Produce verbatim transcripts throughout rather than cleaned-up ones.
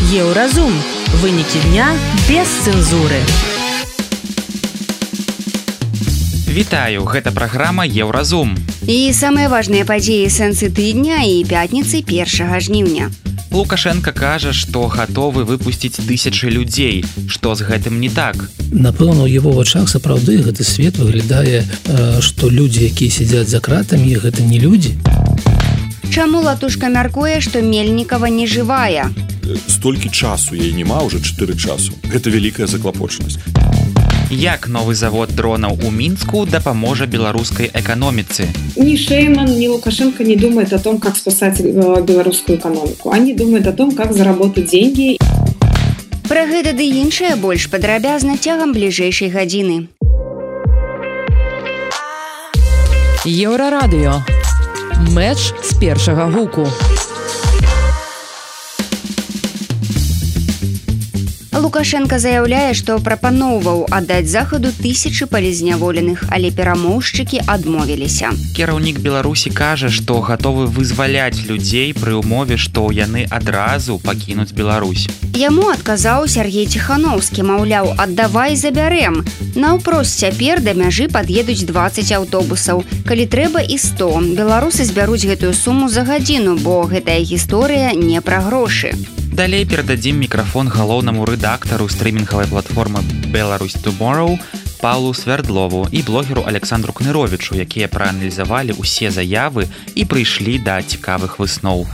Еўразум. Вынікі дня без цэнзуры. Вітаю, гэта праграма Еўразум. І самыя важныя падзеі сэнсы тыдня і пятніцы першага жніўня. Лукашенко кажа, што гатовы выпусціць тысячы людзей. Што з гэтым не так? Напэўна, у яго вачах сапраўды гэты свет выглядае, што людзі, якія сядзяць за кратамі, гэта не людзі. Чаму Латушка мяркуе, што Мельнікава не жывая? Столькі часу яе няма, уже чатыры часу. Гэта вялікая заклапочанасць. Як новы завод дронаў у Мінску дапаможа беларускай эканоміцы? Ни Шейман, ни Лукашенко не думают о том, как спасать белорусскую экономику. Они думают о том, как заработать деньги. Пра гэта ды іншае больш падрабязна цягам бліжэйшай гадзіны. Еўрарадыё. Мэч з першага гуку. Лукашенко заяўляе, што прапаноўваў аддаць захаду тысячы палізняволеных, але перамоўшчыкі адмовіліся. Кіраўнік Беларусі кажа, што гатовы вызваляць людзей пры ўмове, што яны адразу пакінуць Беларусь. Яму адказаў Сергей Ціхановскі, маўляў, аддавай забярэм. Наўпрост цяпер да мяжы пад'едуць дваццаць аўтобусаў. Калі трэба і сто. Беларусы збяруць гэтую суму за гадзіну, бо гэтая гісторыя не пра грошы. Далей перададзім мікрафон галоўнаму рэдактару стрымінгавай платформы Belarus Tomorrow Паўлу Свярдлову і блогеру Александру Кныровічу, якія прааналізавалі ўсе заявы і прыйшлі да цікавых высноў.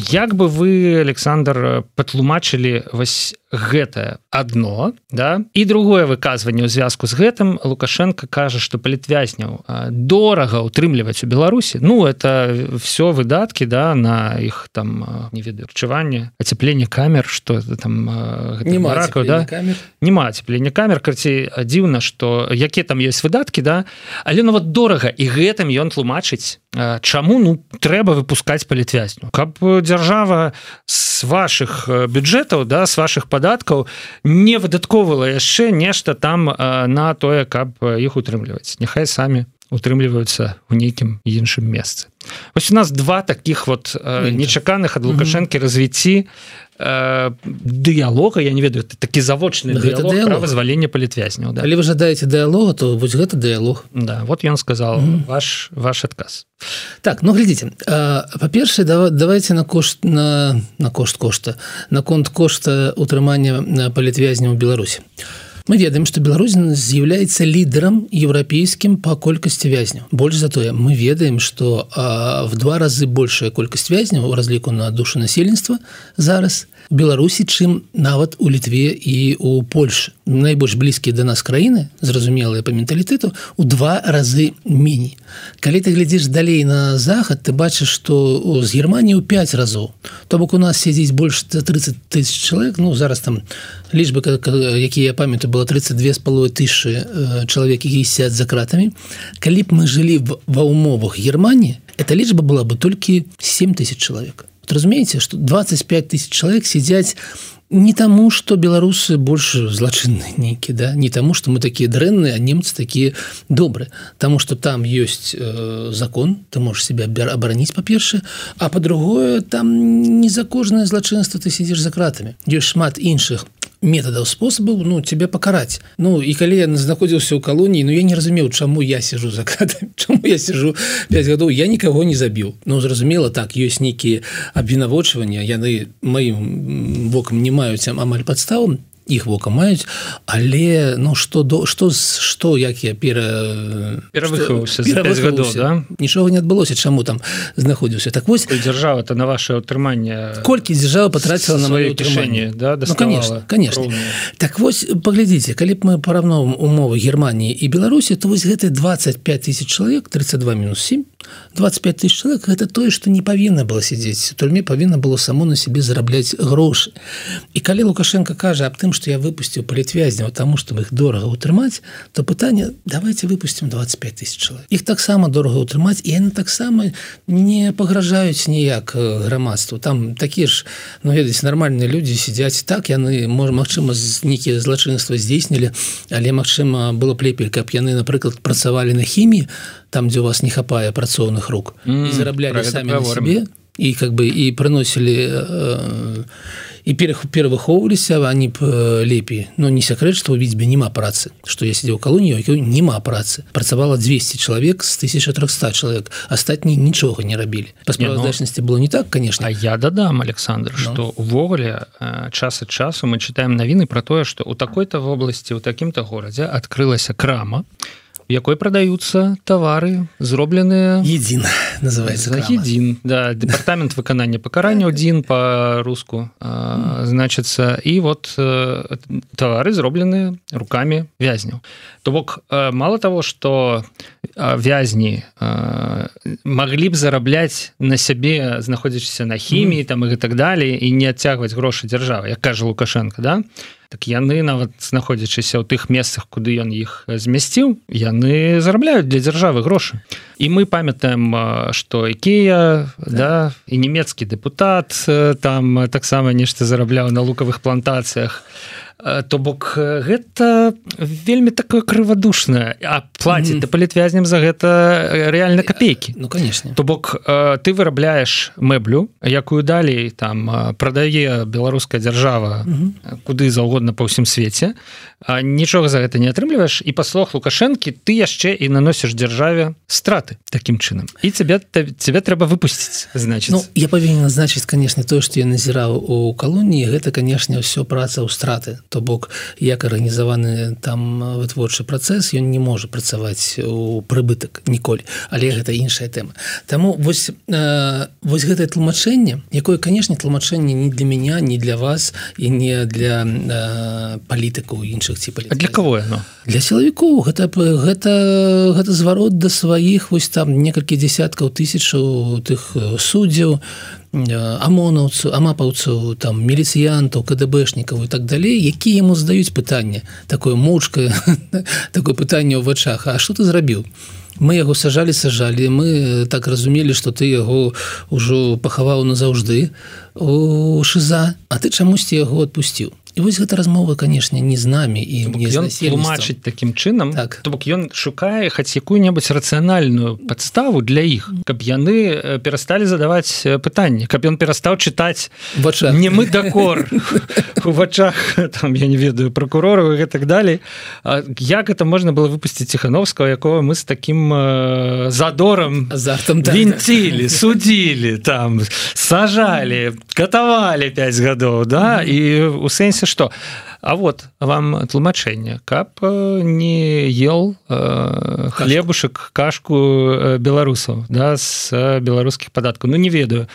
Як бы вы, Александр, патлумачылі вось гэтае адно, да? І другое выказванне ў звязку з гэтым. Лукашенко кажа, што палітвязняў дорага ўтрымліваць у Беларусі. Ну, это все выдаткі, да, на іх там, не ведаю, харчаванне, ацяпленне камер, што там нема баракаў, да? камер. Нема ацяплення камер, карці дзіўна, што якія там ёсць выдаткі, да? Але ну вот дорага, і гэтым ён тлумачыць, чаму ну трэба выпускаць палітвязню. Каб дзяржава з вашых бюджэтаў, да, з вашых падаткаў не выдатковала яшчэ нешта там на тое, каб іх утрымліваць. Няхай самі утрымліваюцца ў нейкім іншым месцы. Вось у нас два таких вот нечаканых ад Лукашэнкі развіцці дыялога, я не ведаю, такі завочны дыялог пра вызваленне палітвязняў. Да. Але вы жадаеце дыялога, то вось гэта дыялог. Да, вот ён сказал, mm-hmm. ваш, ваш адказ. Так, ну глядзіце, па-першае, давайте на кошт на, на кошт кошта, на конт кошта утрымання палітвязняў у Беларусі. Мы ведаем, што Беларусь з'яўляецца лідарам еўрапейскім па колькасці вязняў. Больш за тое, мы ведаем, што а, в два разы большая колькасць вязняў у разліку на душу насельніцтва зараз у Беларусі, чым нават у Літве і у Польшы. Найбольш блізкія да нас краіны, зразумелыя па менталітэту, у два разы меней. Калі ты глядзіш далей на захад, ты бачыш, што з Германіі ў пяць разоў. То бок у нас сядзіць больш за тридцать тысяч чалавек, ну зараз там лічбы, якія я памятаю, было тридцать две з паловай тысячы чалавек, якія сядзяць за кратамі. Калі б мы жылі ва ўмовах Германіі, эта лічба была бы толькі семь тысяч чалавек. Вот разумееце, што двадцать пять тысяч чалавек сядзяць не таму, што беларусы больш злачынныя нейкія, да? Не таму, што мы такія дрэнныя, а немцы такія добрыя. Таму, што там ёсць э, закон, ты можаш себя абараніць, па-першае, а па-другое, там не за кожнае злачынства ты сядзіш за кратамі. Ёсць шмат іншых метадаў, спосабаў, ну, цябе пакараць. Ну, і калі я знаходзіўся ў калоніі, ну, я не разумеў, чаму я сижу за кратамі, чаму я сижу пять гадоў, я нікаго не забіў. Ну, зразумела, так, ёсць нейкія абвінавачванні, яны маім вокам не маюць амаль падставу, іх вока маюць, але ну што до што што як я пера перавыхаваўся за пять гадоў, да? Нічога не адбылося, чаму там знаходзіўся. Так вось дзяржава-то на ваше ўтрыманне колькі дзяржава патраціла на маё ўтрыманне, да, ну, конечно, конечно. Так вось паглядзіце, калі б мы параўноўваем умовы Германіі і Беларусі, то вось гэты двадцать пять тысяч чалавек, тридцать два минус семь, двадцать пять тысяч чалавек, гэта тое, што не павінна было сядзець. У турме павінна было само на сябе зарабляць грошы. І калі Лукашенко кажа аб тым, што я выпусціў палітвязняў таму, чтобы іх дорага ўтрымаць, то пытанне, давайте выпусцім двадцать пять тысяч чалавек. Іх таксама дорага ўтрымаць, і яны таксама не пагражаюць ніяк грамадству. Там такія ж, ну, ведаеце, нармальныя людзі сядзяць так, яны, можа, магчыма, нейкія злачынства здзейснілі, але, магчыма, было б лепей, каб яны, напрыклад, працавалі на хіміі, там, дзе у вас не хапае працоўных рук, mm, і зараблялі самі на сябе, и как бы и приносили э, и перавыхоўваліся они б лепей, но не секрет, что у Віцьбе няма працы, что я сидел в колонии, у няма працы, працавала двести человек с тысяча триста человек, астатние ничего не рабілі. По справаздачнасці было не так, конечно. А я дадам, Александр, но. Что увогуле час от часу мы читаем новины про то, что у такой-то в области, у таким-то городе открылась крама, в якой продаются товары, зробленные... Един, называется крама. Един, да, департамент выканання пакарання один по-руску, значится, и вот товары, зробленные руками вязняў. То бок, мало того, что вязни могли б зарабляць на сябе, знаходзячыся на хіміі, там, и так далее, и не адцягваць грошы дзяржавы, як кажа Лукашенко, да? Так яны нават знаходзячыся ў тых месцах, куды ён іх змясціў, яны зарабляюць для дзяржавы грошы. І мы памятаем, што Ікея, да, і нямецкі дэпутат там таксама нешта зарабляў на лукавых плантацыях. То бок гэта вельмі такое крывадушнае, а плаціць mm-hmm. палітвязням за гэта рэальна капейкі. Ну, конечно. То бок ты вырабляеш мэблю, якую далей там прадае беларуская дзяржава mm-hmm. куды заўгодна па ўсім свеце, а нічога за гэта не атрымліваеш, і па словах Лукашэнкі ты яшчэ і наносіш дзяржаве страты такім чынам. І цябе, цябе трэба выпусціць, значыць. Ну, я павінен назначыць, конечно, тое, што я назіраў у калоніі, гэта, конечно, ўсё праца ў страты. То бок, як арганізаваны там вытворчы працэс, ён не можа працаваць у прыбытак ніколі, але гэта іншая тэма. Таму вось, э, вось гэтае тлумачэнне, якое, канешне, тлумачэнне не для меня, не для вас і не для э, палітыкаў іншых ці палітыкаў. А для кого яно? Для сілавікоў. Гэта, гэта, гэта зварот да сваіх вось там некалькі дзесяткаў тысячаў тых суддзяў, амонаўцаў, амапаўцаў, там, міліцыянтаў, кадэбэшнікаў і так далей, якія яму задаюць пытанне, такое моўчкае, такое пытанне ў вачах, а што ты зрабіў? Мы яго сажалі, сажалі, мы так разумелі, што ты яго ўжо пахаваў назаўжды у ШИЗА, а ты чамусьці яго адпусціў. І вось гэта размова, канешне, не з намі і не з насельніцтвам. Ён тлумачыць такім чынам, так. То бок ён шукае хаць якую-небудзь рацыянальную падставу для іх, каб яны перасталі задаваць пытанні, каб ён перастаў чытаць не мы дакор у вачах, там, я не ведаю, прокурораў і так далей. Як это можна было выпусціць Ціхановскага, якого мы з такім задором вінцілі, судзілі, там, сажалі, катавалі пяць гадоў, да, і у сэнсе что? А вот вам тлумачэнне, каб не ел э, хлебушек, кашку э, беларусаў, да, з беларускіх падаткаў. Ну, не ведаю,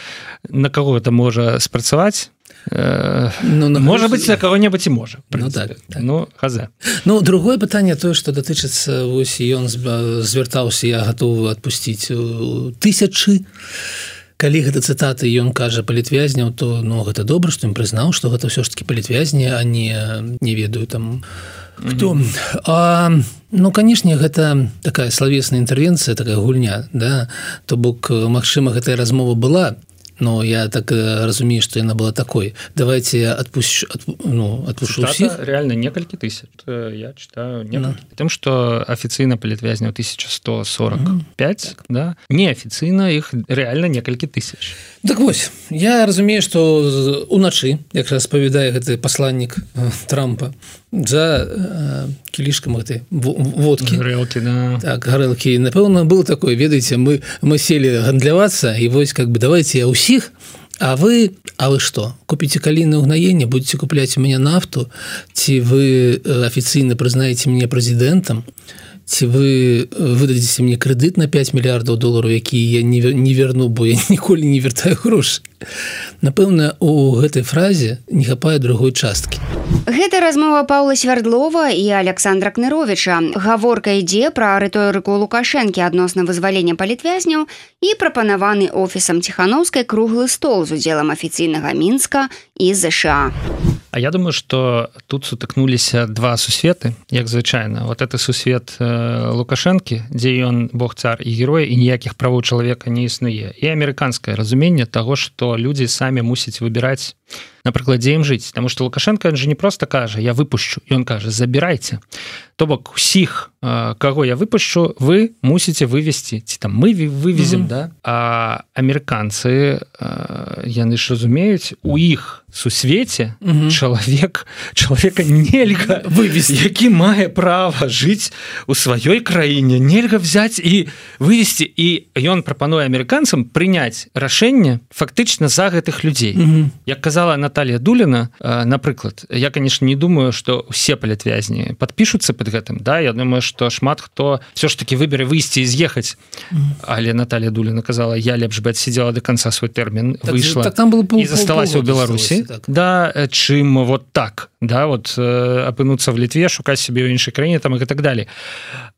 на каго это можа спрацаваць. Э, ну, можа быць, для каго-небудзь і можа. Ну, так, так. Ну, хазе. Ну, другое пытанне тое, што датычыцца, вось ён звяртаўся, я гатовы адпусціць тысячы. Калі гэта цытаты ён кажа палітвязняў, то ну, гэта добра, што ён прызнаў, што гэта ўсё ж такі палітвязні, а не, не ведаю там хто. Mm-hmm. А, ну, канешне, гэта такая славесная інтэрвенцыя, такая гульня, да? То бок, магчыма, гэтая размова была, но я так разумею, что яна была такой. Давайте я отпущу, отп, ну, отпущу всех. Реально несколько тысяч. Я читаю несколько. No. Тем, что официально палітвязняў тысяча сто сорок пять, mm-hmm. да? Неофициально их реально несколько тысяч. Так вось, я разумею, что уначы, як распавядае гэты пасланнік Трампа, за э, кілішкам гэтай водкі. Гарэлкі, да. Так, гарэлкі. Напэўна, было такое, ведаеце, мы, мы сели гандлявацца, і вось, как бы, давайте я ўсіх, а вы, а вы что, купите калійнае ўгнаенне, будете купляць у мяне нафту, ці вы афіцыйна прызнаеце мяне прэзідэнтам, ці вы выдадзеце мне крэдыт на пять мільярдаў долараў, які я не, не верну, бо я ніколі не вяртаю грошы. Напэўна, у гэтай фразе не хапае другой часткі. Гэта размова Паўла Свярдлова і Александра Кныровіча. Гаворка ідзе пра рыторыку Лукашэнкі адносна вызвалення палітвязняў і прапанаваны офісам Ціхановскай круглы стол з удзелам афіцыйнага Мінска і ЗША. А я думаю, что тут сутыкнуліся два сусветы, як звычайна. Вот это сусвет э, Лукашэнкі, дзе ён бог цар і герой, і ніякіх правоў чалавека не існуе. І амерыканскае разуменне таго, што людзі самі мусяць выбіраць, на прыкладзе ім жыць, потому что Лукашенко, он же не просто кажа я выпушчу, ён кажа забірайце, то бок усіх каго я выпушчу, вы мусіце вывесці, ці там мы вывезем, mm-hmm. да, а амерыканцы яны ж разумеюць, у іх сусвеце mm-hmm. чалавек чалавека нельга вывезці, які мае права жыць у сваёй краіне, нельга взять і вывесці, і ён прапануе амерыканцам прыняць рашэнне фактычна за гэтых людзей. Mm-hmm. Як казала Наталья Дуліна, напрыклад, я, конечно, не думаю, што усе палітвязні падпішуцца под гэтым, да, я думаю, што шмат хто все ж таки выбере выйсці і з'ехаць, mm-hmm. але Наталья Дуліна казала, я лепш бы адсидзела до конца свой тэрмін, так, выйшла так, там было пол, і засталася ў Беларусі, так. Да, чым вот так, да, вот апынуцца в Літве, шукаць себе ў іншай краіне там і так далее.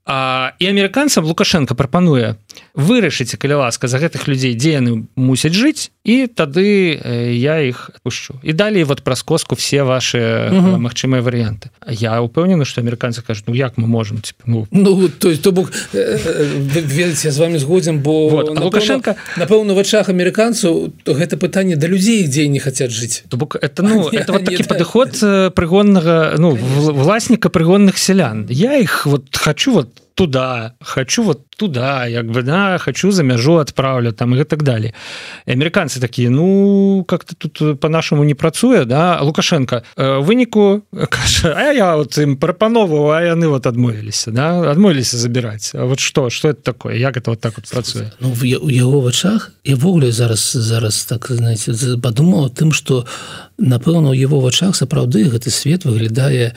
А, і амерыканцам Лукашенко прапануе вырашыць, калі ласка, за гэтых людзей, дзе яны мусяць жыць, і тады я іх адпушчу. І далей вот праз коску все ваши угу. магчымыя варыянты. Я упэўнены, што амерыканцы кажуць, ну як мы можем, типа, ну... Ну, то есть, то бок, ведаце, я з вами згодзім, бо вот, напэўна, Лукашенко... напэўна, в вачах амерыканцаў гэта пытанне да людзей, дзе не хацяць жыць. То бок, это, ну, это вот такі падыход прыгоннага, ну, власніка прыгонных сялян. Я іх вот хочу вот туда, хочу вот туда, як бы, да, хочу за мяжу отправлю, там, и так далее. И американцы такие, ну, как-то тут по-нашему не працуе, да, Лукашенко в выніку кажа, а я вот им прапановываю, а яны вот адмовіліся, да, адмовіліся забирать. А вот что, что это такое, як это вот так вот працуе? Ну, в яго вачах, я ввогуле зараз, зараз так, знаете, подумал тым, что, напэўна, у яго вачах сапраўды гэты свет выглядае,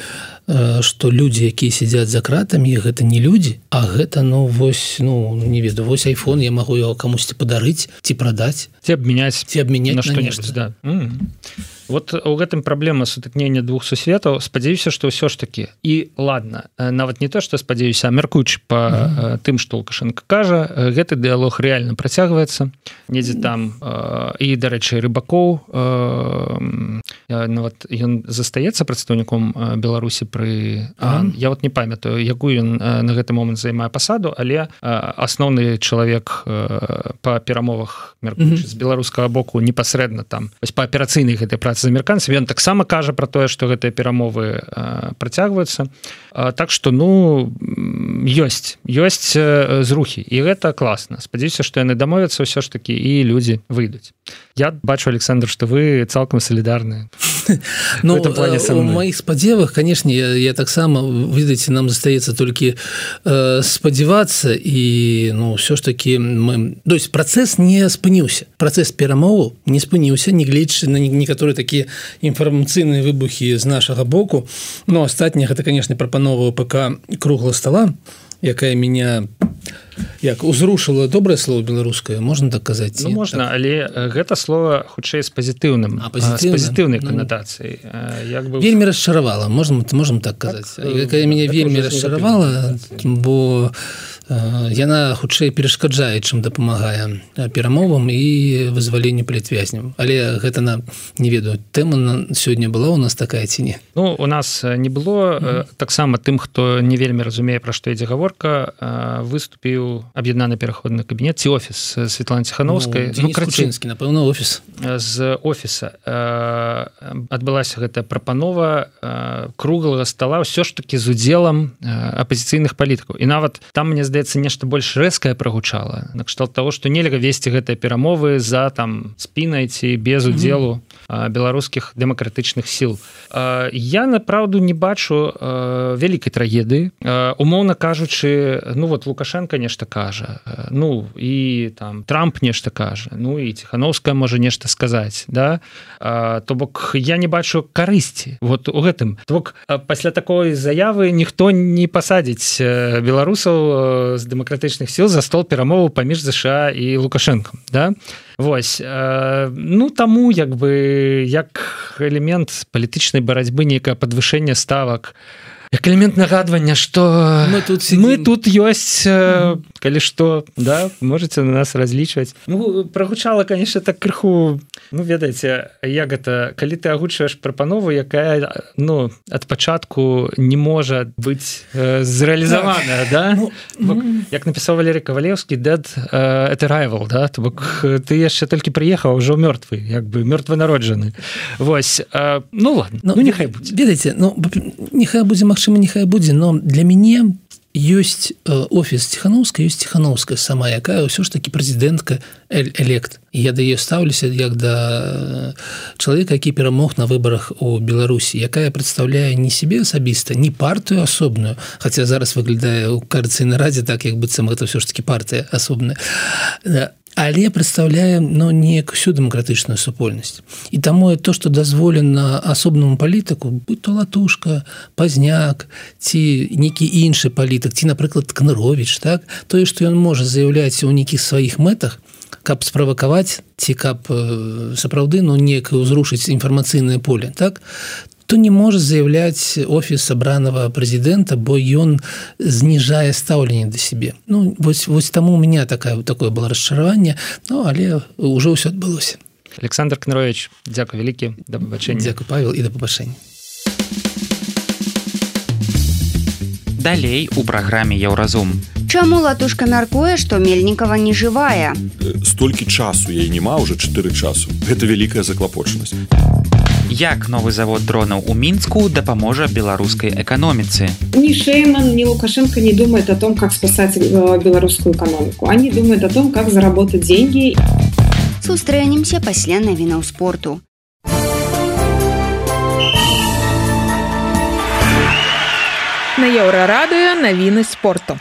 што людзі, якія сядзяць за кратамі, гэта не людзі, а гэта, ну, вось, ну, не ведаю, вось айфон, я магу яго камусьці падарыць, ці прадаць, ці абмяняць, ці абмяняць на што-небудзь, да. Mm-hmm. Вот у гэтым праблема сутыкнення двух сусветаў. Спадзяюся, што ўсё ж такі, і ладно, нават не то, што спадзяюся, а мяркуючы па mm-hmm. тым, што Лукашенко кажа, гэты дыялог рэальна працягваецца, недзе там, і, дарэчы, Рыбакоў, нават ён застаецца прадстаўніком Беларусі пры... Mm-hmm. Я вот не памятаю, якую ён на гэты момант займае пасаду, але асноўны чалавек па перамовах, мяркуючы, mm-hmm. з беларускага боку непасрэдна там, вось па аперацыйнай гэтай працы з амерыканцамі, ён таксама кажа пра тое, што гэтыя перамовы працягваюцца. Так што, ну, ёсць, ёсць зрухі, і гэта класна. Спадзяюся, што яны дамовяцца ўсё ж такі, і людзі выйдуць. Я бачу, Александр, што вы цалкам салідарны. Ну, у моих спадзевах, конечно, я, я таксама, видите, нам застаецца толькі э, спадзявацца, і, ну, ўсё ж такі мы... То есть працэс не спыніўся. Працэс перамоваў не спыніўся, нягледзячы на некаторыя такія інфармацыйныя выбухі з нашага боку. Но астатняе гэта, конечно, прапанова ПК круглого стола, якая меня як узрушыла, добрае слово беларускае, можна так казаць? Ну, можна, так. Але гэта слово хутчэй з пазітыўным, а, з пазітыўнай канатацыяй. Як бы... Вельмі расчаравала, можна, можам так казаць. Так, якая мяне вельмі расчаравала, бо яна хутчэй перашкаджае, чым дапамагае перамовам і вызваленню палітвязняў. Але гэта, на, не ведаю, тэма сёння была у нас такая ці не? Ну, у нас не было. Mm-hmm. Таксама тым, хто не вельмі разумее, пра што ідзе гаворка, выступіў аб'яднаны пераходны кабінет ці офіс Светланы Ціхановскай. Ну, Дзеніс Кучынскі, напэўна, офіс. З офіса адбылася гэтая прапанова круглага стола ўсё ж такі з удзелам апазіцыйных палітыкаў. І нават там, мне здаецца, нешта больш рэзкае прагучала, накшталт таго, што нельга весці гэтыя перамовы за там спінай ці без удзелу mm-hmm. беларускіх дэмакратычных сіл. Я, направду, не бачу вялікай трагедыі. Умоўна кажучы, ну вот Лукашенко нешта кажа, ну і там Трамп нешта кажа, ну і Ціхановская можа нешта сказаць, да? То бок я не бачу карысці вот у гэтым. То бок пасля такой заявы ніхто не пасадзіць беларусаў з дэмакратычных сіл за стол перамоваў паміж ЗША і Лукашенком, да? Вось, ну таму як бы як элемент палітычнай барацьбы, нейкае падвышэнне ставак як элемент нагадвання, што мы тут, мы тут ёсць, калі што, да, можете на нас разлічваць. Ну, прагучала, конечно, так крыху, ну, ведаеце, як гэта, калі ты агучваеш прапанову, якая, ну, ад пачатку не можа быць э, зрэалізаваная, да? Ну, Бок, як напісаў Валерий Кавалеўскі, dead uh, at arrival, да? То бок ты яшчэ толькі прыехаў, ужо мёртвы, як бы мёртванароджаны. Вось, uh, ну ладно, ну, ну нехай будзе. Ведаеце, ну, нехай будзе, магчыма, нехай будзе, но для мяне ёсць офіс Ціхановская, ёсць Ціхановская сама, якая ўсё ж такі прэзідэнтка элект. І я да яе стаўлюся як да чалавека, які перамог на выбарах у Беларусі, якая прадстаўляе не сябе асабіста, не партыю асобную, хаця зараз выглядае ў Коаліцыйнай радзе так, як быццам гэта ўсё ж такі партыя асобная, але прадстаўляе, ну, неяк усю дэмакратычную супольнасць. І таму то, што дазволена асобнаму палітыку, будь то Латушка, Пазняк, ці нейкі іншы палітык, ці, напрыклад, Кныровіч, так, тое, што ён можа заяўляць у нейкіх сваіх мэтах, каб справакаваць, ці каб сапраўды, ну, неяк узрушыць інфармацыйнае поле, так, то не можа заяўляць офіс абранага прэзідэнта, бо ён зніжае стаўленне да сябе. Ну, вось, вось таму у меня такая, такое было расчараванне, ну, але ўжо ўсё адбылося. Александр Кнырович, дзякуй вялікі, да пабачэння. Дзякуй, Павел, і да пабачэння. Далей у праграме «Еўразум». Чаму Латушка мяркуе, што Мельнікава не жывая? Столькі часу яе няма, уже чатыры часу. Гэта вялікая заклапочанасць. Як новы завод дронаў у Мінску дапаможа беларускай эканоміцы? Ни Шейман, ни Лукашенко не думают о том, как спасать белорусскую экономику. Они думают о том, как заработать деньги. Сустрэнемся пасля навінаў спорту. На Еўрарадыё навіны спорту.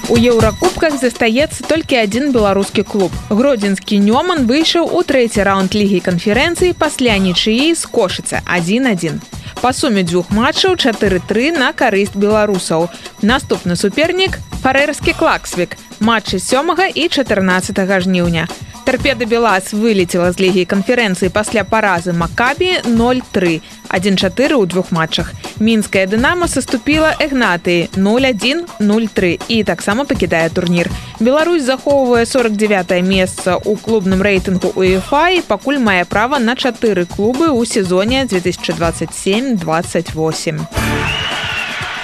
У еўракубках застаецца толькі адзін беларускі клуб. Гродзенскі Нёман выйшаў у трэці раунд лігі канферэнцыі пасля нічыі з Кошыца адзін адзін. Па суме дзвюх матчаў чатыры тры на карысць беларусаў. Наступны супернік фарэрскі Клаксвік. Матчы сёмага і чатырнаццатага жніўня. Торпеда Белас вылетела з лігі канферэнцыі пасля паразы Макабі нуль тры, адзін чатыры ў двух матчах. Мінская Дынамо саступіла Эгнатыі нуль адзін нуль тры і таксама пакідае турнір. Беларусь захоўвае сорок дзевятае месца ў клубным рэйтынгу УЕФА і пакуль мае права на чатыры клубы ў сезоне две тысячи двадцать семь двадцать восемь.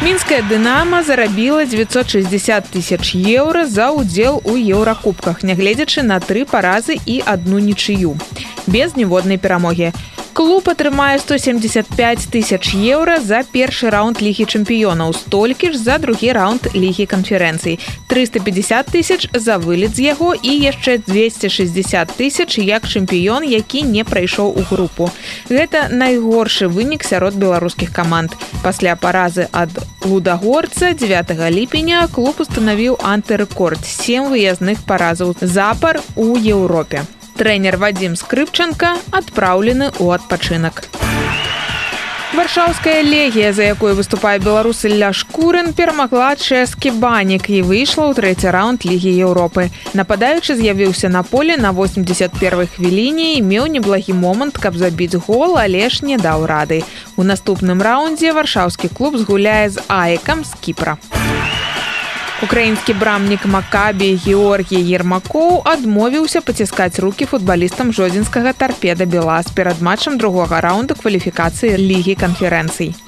Мінская Дынамо зарабіла девятьсот шестьдесят тысяч еўра за ўдзел у еўракубках, нягледзячы на тры паразы і адну нічыю. Без ніводнай перамогі. Клуб атрымае сто семьдесят пять тысяч еўра за першы раунд лігі чэмпіёнаў, столькі ж за другі раунд лігі канферэнцый, триста пятьдесят тысяч за вылет з яго і яшчэ двести шестьдесят тысяч як чэмпіён, які не прайшоў у групу. Гэта найгоршы вынік сярод беларускіх каманд. Пасля паразы ад Лудагорца дзевятага ліпеня клуб устанавіў антырэкорд сем выязных паразаў запар у Еўропе. Трэнер Вадзім Скрыпчанка адпраўлены ў адпачынак. Варшаўская легія, за якой выступае беларус Ілля Шкурын, перамагла чэшскі Банік і выйшла ў трэці раунд Лігі Еўропы. Нападаючы з'явіўся на поле на восемьдесят первой хвіліне і меў неблагі момант, каб забіць гол, але ж не даў рады. У наступным раундзе варшаўскі клуб згуляе з Аекам з Кіпра. Украінскі брамнік Макабі Георгій Ермакоў адмовіўся паціскаць рукі футбалістам жодзінскага Торпеда Белас перад матчам другога раунда кваліфікацыі Лігі канферэнцый.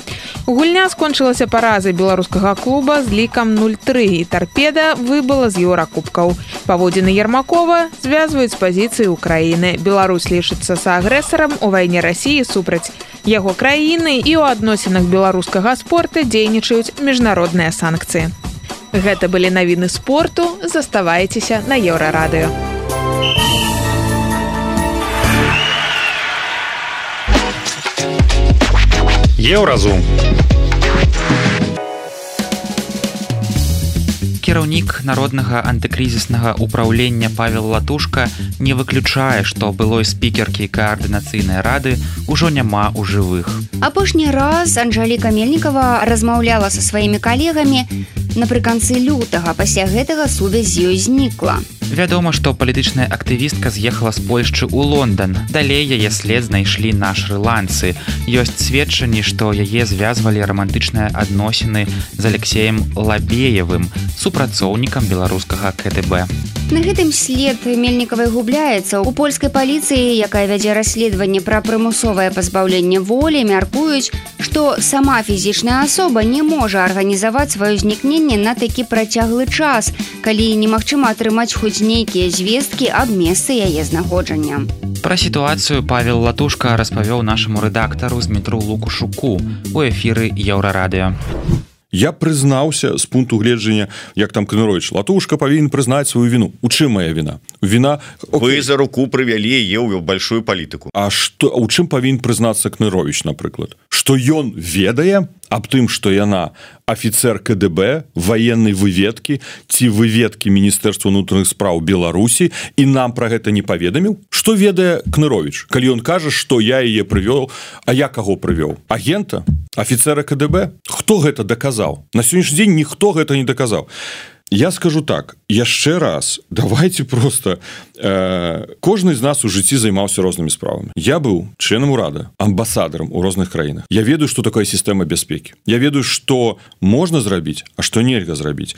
Гульня скончылася паразай беларускага клуба з лікам нуль тры і Торпеда выбыла з еўракубкаў. Паводзіны Ермакова звязваюць з пазіцыі Украіны. Беларусь лічыцца саагрэсарам у вайне Расіі супраць яго краіны і ў адносінах беларускага спорта дзейнічаюць міжнародныя санкцыі. Гэта былі навіны спорту, заставайцеся на Еўрарадыё. Еўразум. Кіраўнік народнага антыкрызіснага ўпраўлення Павел Латушка не выключае, што былой спікеркі каардынацыйнай рады ўжо няма ў жывых. Апошні раз Анжаліка Мельнікава размаўляла са сваімі калегамі напрыканцы лютага, пасля гэтага сувязь з ёй знікла. Вядома, што палітычная актывістка з'ехала з Польшчы ў Лондан. Далей яе след знайшлі на шры-ланцы. Ёсць сведчанні, што яе звязвалі рамантычныя адносіны з Алексеем Лабеевым, супрацоўнікам беларускага ка дэ бэ. На гэтым след Мельнікавай губляецца. У польскай паліцыі, якая вядзе расследаванне пра прымусовае пазбаўленне волі, мяркуюць, што сама фізічная асоба не можа арганізаваць сваё знікненне на такі працяглы час, калі немагчыма атрымаць хоць нейкія звесткі аб месцы яе знаходжання. Пра сітуацыю Павел Латушка распавёў нашаму рэдактару Змітру Лукушуку у эфіры Еўрарадыё. Я прызнаўся з пункту гледжання, як там Кныровіч, Латушка павінен прызнаць сваю віну. У чым моя віна? Віна... Вы за руку прывялі яе ў большую палітыку. А што, у чым павінен прызнацца Кныровіч, напрыклад? Што ён ведае аб тым, што яна афіцер ка дэ бэ, ваеннай выведкі ці выведкі Міністэрства ўнутраных спраў Беларусі і нам пра гэта не паведаміў? Што ведае Кныровіч, калі ён кажа, што я яе прывёў, а я каго прывёў? Агента? Афіцера ка дэ бэ? Хто гэта даказаў? На сённяшні дзень ніхто гэта не даказаў. Я скажу так, яшчэ раз, давайте просто... Э, кожны з нас у жыцці займаўся рознымі справамі. Я быў членам урада, амбасадарам у розных краінах. Я ведаю, што такая сістэма бяспекі. Я ведаю, што можна зрабіць, а што нельга зрабіць.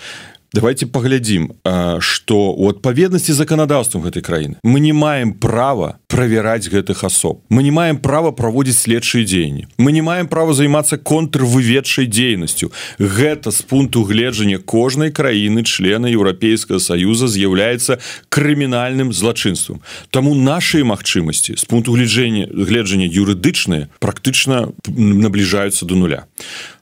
Давайте паглядзім, што у адпаведнасці з заканадаўствам гэтай краіны мы не маем права правяраць гэтых асоб. Мы не маем права праводзіць следчыя дзеянні. Мы не маем права займацца контрвыведчай дзейнасцю. Гэта з пункту гледжання кожнай краіны члена Еўрапейскага Саюза з'яўляецца крымінальным злачынствам. Таму нашыя магчымасці з пункту гледжання, гледжання юрыдычныя практычна набліжаюцца до нуля.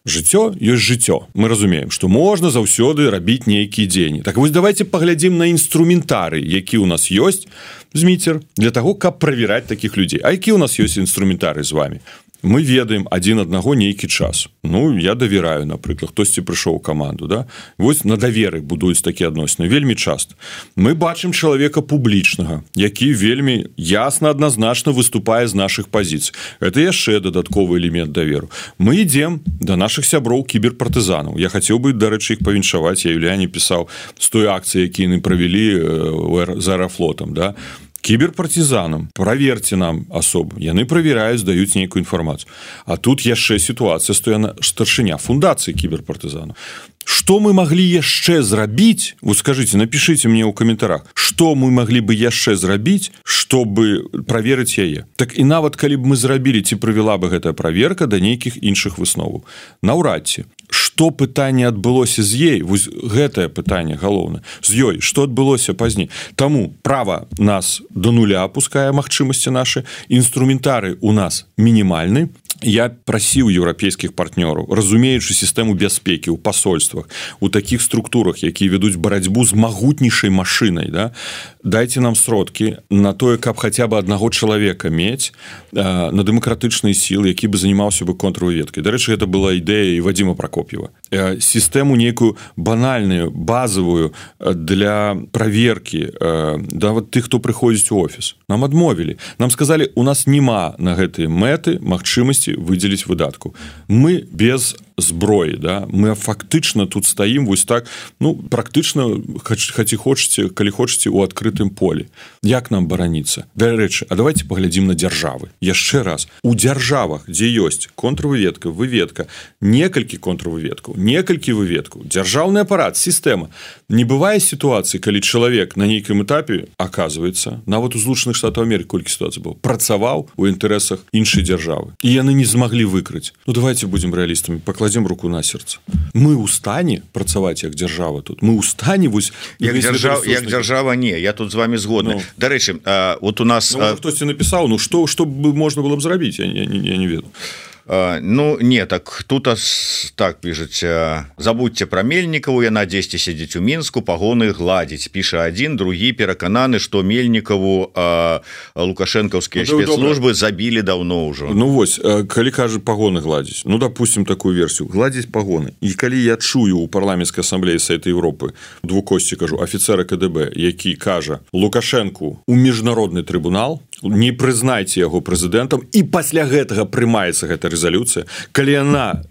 Жыццё ёсць жыццё. Мы разумеем, што можна заўсёды рабіць нейкія дзеянні. Так вось давайте паглядзім на інструментарый, які ў нас ёсць, Зміцер, для таго, каб правяраць такіх людзей. А які ў нас ёсць інструментарый з вами? Мы ведаем адзін аднаго нейкі час. Ну, я давяраю, напрыклад, хтосьці прыйшоў у каманду, да? Вось на даверы будуюць такія адносіны вельмі часта. Мы бачым чалавека публічнага, які вельмі ясна, адназначна выступае з нашых пазіцый. Это яшчэ дадатковы элемент даверу. Мы ідзем да нашых сяброў кіберпартызанаў. Я хацеў бы, дарэчы, іх павіншаваць. Я Юліяне пісаў з той акцыі, які яны правялі з аэрафлотам, да? Кіберпартизанам, праверьте нам асобу. Яны правяраюць, даюць нейкую інфармацыю. А тут яшчэ сітуацыя, што яна старшыня фундацыі кіберпартизанаў. Што мы маглі яшчэ зрабіць? Вы скажыце, напішыце мне ў каментарах, што мы маглі бы яшчэ зрабіць, чтобы праверыць яе. Так і нават калі б мы зрабілі, ці прывяла бы гэтая праверка да нейкіх іншых высноваў. Наўрад ці. Што пытанне адбылося з ей? Вось гэтае пытанне галоўнае. З ёй, што адбылося пазней? Таму права нас до нуля апускае магчымасці нашы, інструментары у нас мінімальны. Я прасіў еўрапейскіх партнёраў, разумеючы сістэму бяспекі ў пасольствах, у такіх структурах, якія вядуць барацьбу з магутнейшай машынай, да? Дайце нам сродкі на тое, каб хаця бы аднаго чалавека мець э, на дэмакратычныя сілы, які бы занимаўся бы контрвыведкай. Дарэчы, гэта была ідэя і Вадзіма Пракоп'ева. Э, сістэму нейкую банальную, базавую для праверкі э, да вот тых, хто прыходзіць у офіс. Нам адмовілі. Нам сказалі, у нас няма на гэтыя мэты магчымасці выдзеліць выдатку. Мы без зброі, да? Мы фактычна тут стаім вось так, ну, практычна, хаці хочаце, калі хочаце, у адкрытым полі. Як нам бараніцца? Дарэчы, а давайте паглядзім на дзяржавы. Яшчэ раз, у дзяржавах, дзе ёсць контрвыведка, выведка, некалькі контрвыведкаў, некалькі выведкаў, дзяржаўны апарат, сістэма. Не бывае сітуацыі, калі чалавек на нейкім этапе, аказваецца, нават у Злучаных Штатаў Амерыкі колькі сітуацый было, працаваў у інтарэсах іншай дзяржавы. І яны не змаглі выкрыць. Ну, давайте будзем рэалістамі, пакладзем руку на сэрца. Мы ў стане працаваць як дзяржава тут. Мы ў стане вось... Як, дзяржав, як дзяржава не, я тут з вами згодны. Ну. Дарэчы, а, вот у нас... Ну, хтосьці напісаў, ну, што, што можна было б зрабіць, я, я, я не ведаю. Uh, ну не так тут так пішаць забудьте пра Мельнікаву, яна дзесьці сядзіць у Мінску, пагоны гладзіць, піша адзін, другі перакананы, што Мельнікаву uh, лукашэнкаўскія ну, спецслужбы забілі даўно ўжо. Ну вось, калі кажа пагоны гладзіць, ну допустим такую версію, гладзіць пагоны. І калі я чую у парламенцкай асамблеі Савета Еўропы двукосці кажу афіцера ка дэ бэ, які кажа Лукашэнку у міжнародны трыбунал, не прызнайце яго прэзідэнтам, і пасля гэтага прымаецца гэта рэзалюцыя, калі яна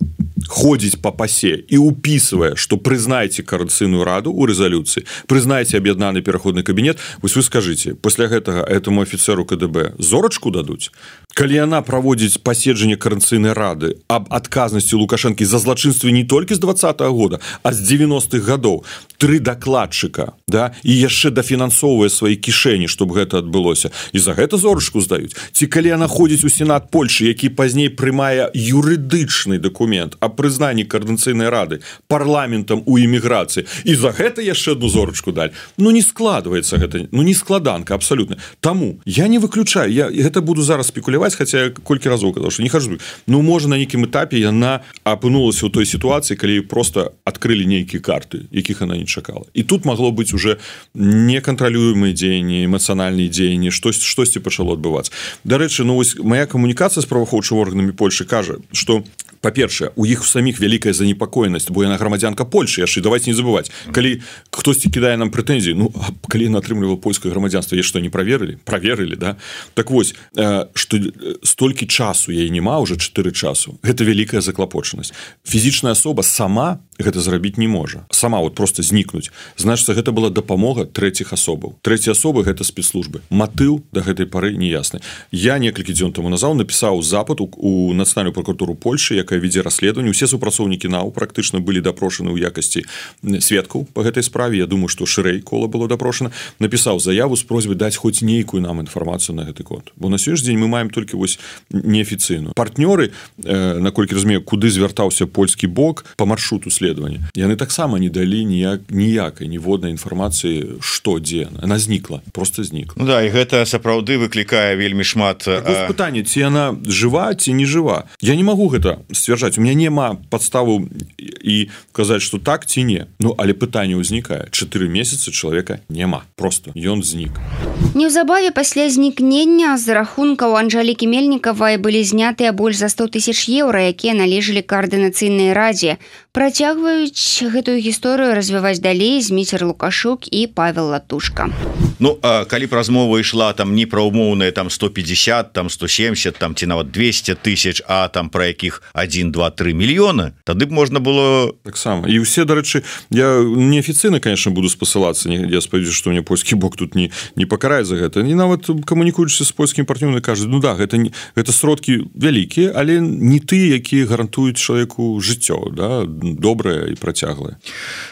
ходзіць па пасе і упісвае, што прызнайце Коордынацыйную раду ў рэзалюцыі, прызнайце аб'яднаны пераходны кабінет, вось вы скажыце, пасля гэтага этому афіцеру КДБ зорачку дадуць? Калі яна праводзіць паседжанне Коордынацыйнай рады аб адказнасці Лукашэнкі за злачынствы не толькі з двадцатага года, а з девяностых гадоў, тры дакладчыка, да, і яшчэ дафінансоўвае свае кішэні, чтобы гэта адбылося, і за гэта зорачку здаюць. Ці калі яна ходзіць у Сенат Польшы, які пазней прымае юрыдычны дакумент аб прызнанні Коордынацыйнай рады парламентам у эміграцыі, і за гэта яшчэ одну зорачку далі. Ну не складваецца гэта, ну не складанка абсалютна. Таму я не выключаю, я гэта буду зараз спекуляваць, хаця я колькі разоў казаў, што не хажу. Ну можа на нейкім этапе яна апынулася ў той сітуацыі, калі проста адкрылі нейкія карты, якіх она не чакала. І тут магло быць уже некантралюемыя дзеянні, эмацыянальныя дзеянні, штось, штосьці пачало адбывацца. Дарэчы, ну вось моя камунікацыя з праваахоўчымі органамі Польшы кажа, што па-першае, у іх саміх вялікая занепакоенасць, бо яна грамадзянка Польшы, яшчэ давайте не забываць. Калі хтосьці кідае нам прэтэнзіі, ну калі яна атрымлівала польскае грамадзянства, я што не праверылі? Праверылі, да? Так вось, што столькі часу яе няма, уже чатыры часу. Гэта вялікая заклапочанасць. Фізічная асоба сама гэта зрабіць не можа. Сама вот просто знікнуць. Значыцца, гэта была дапамога трэціх асобаў. Трэція асобы гэта спецслужбы. Матыў да гэтай пары не ясны. Я некалькі дзён таму назад напісаў запыт у Нацыянальную пракуратуру Польшы, якая вядзе расследаванне. Усе супрацоўнікі НАУ практычна былі дапрошаны ў якасці сведкаў па гэтай справе. Я думаю, што шырэй кола было дапрошана. Напісаў заяву з просьбай даць хоць нейкую нам інфармацыю на гэты конт. Бо на сённяшні дзень мы маем толькі вось неафіцыйную. Партнёры, э, наколькі разумею, куды звяртаўся польскі бок па маршруту следавання, яны таксама не далі ніяк, ніякай ніводнай інфармацыі, што дзе. Яна знікла, просто знікла. Ну да, і гэта сапраўды выклікае вельмі шмат... Так вось пытанне, ці яна жыва, ці не жыва. Я не магу гэта сцвярджаць. У меня няма падставу і казаць, што так ці не. Ну, але пытанне ўзнікае. Чатыры месяцы чалавека няма. Просто ён знік. Неўзабаве пасля знікнення з рахункаў Анжалікі Мельнікавай былі знятыя больш за сто тысяч еўра, якія належалі Коордынацыйнай радзе. Працягваюць гэтую гісторыю развіваць далей Зміцер Лукашук і Павел Латушка. Ну, а калі б размова ішла там не пра умоўныя там сто пятьдесят, там сто семьдесят, там ці нават двести тысяч, а там пра якіх один, два, три мільёны, тады б можна было... Таксама. І ўсе, дарэчы, я неафіцыйна, конечно, буду спасылацца, я спадзяюся, што мне польскі бок тут не, не пакарае за гэта. І нават камунікуючыся з польскімі партнёрамі кажуць, ну да, гэта, гэта сродкі вялікія, але не тыя, якія гарантуюць чалавеку жыццё, да, добрае і працяглае.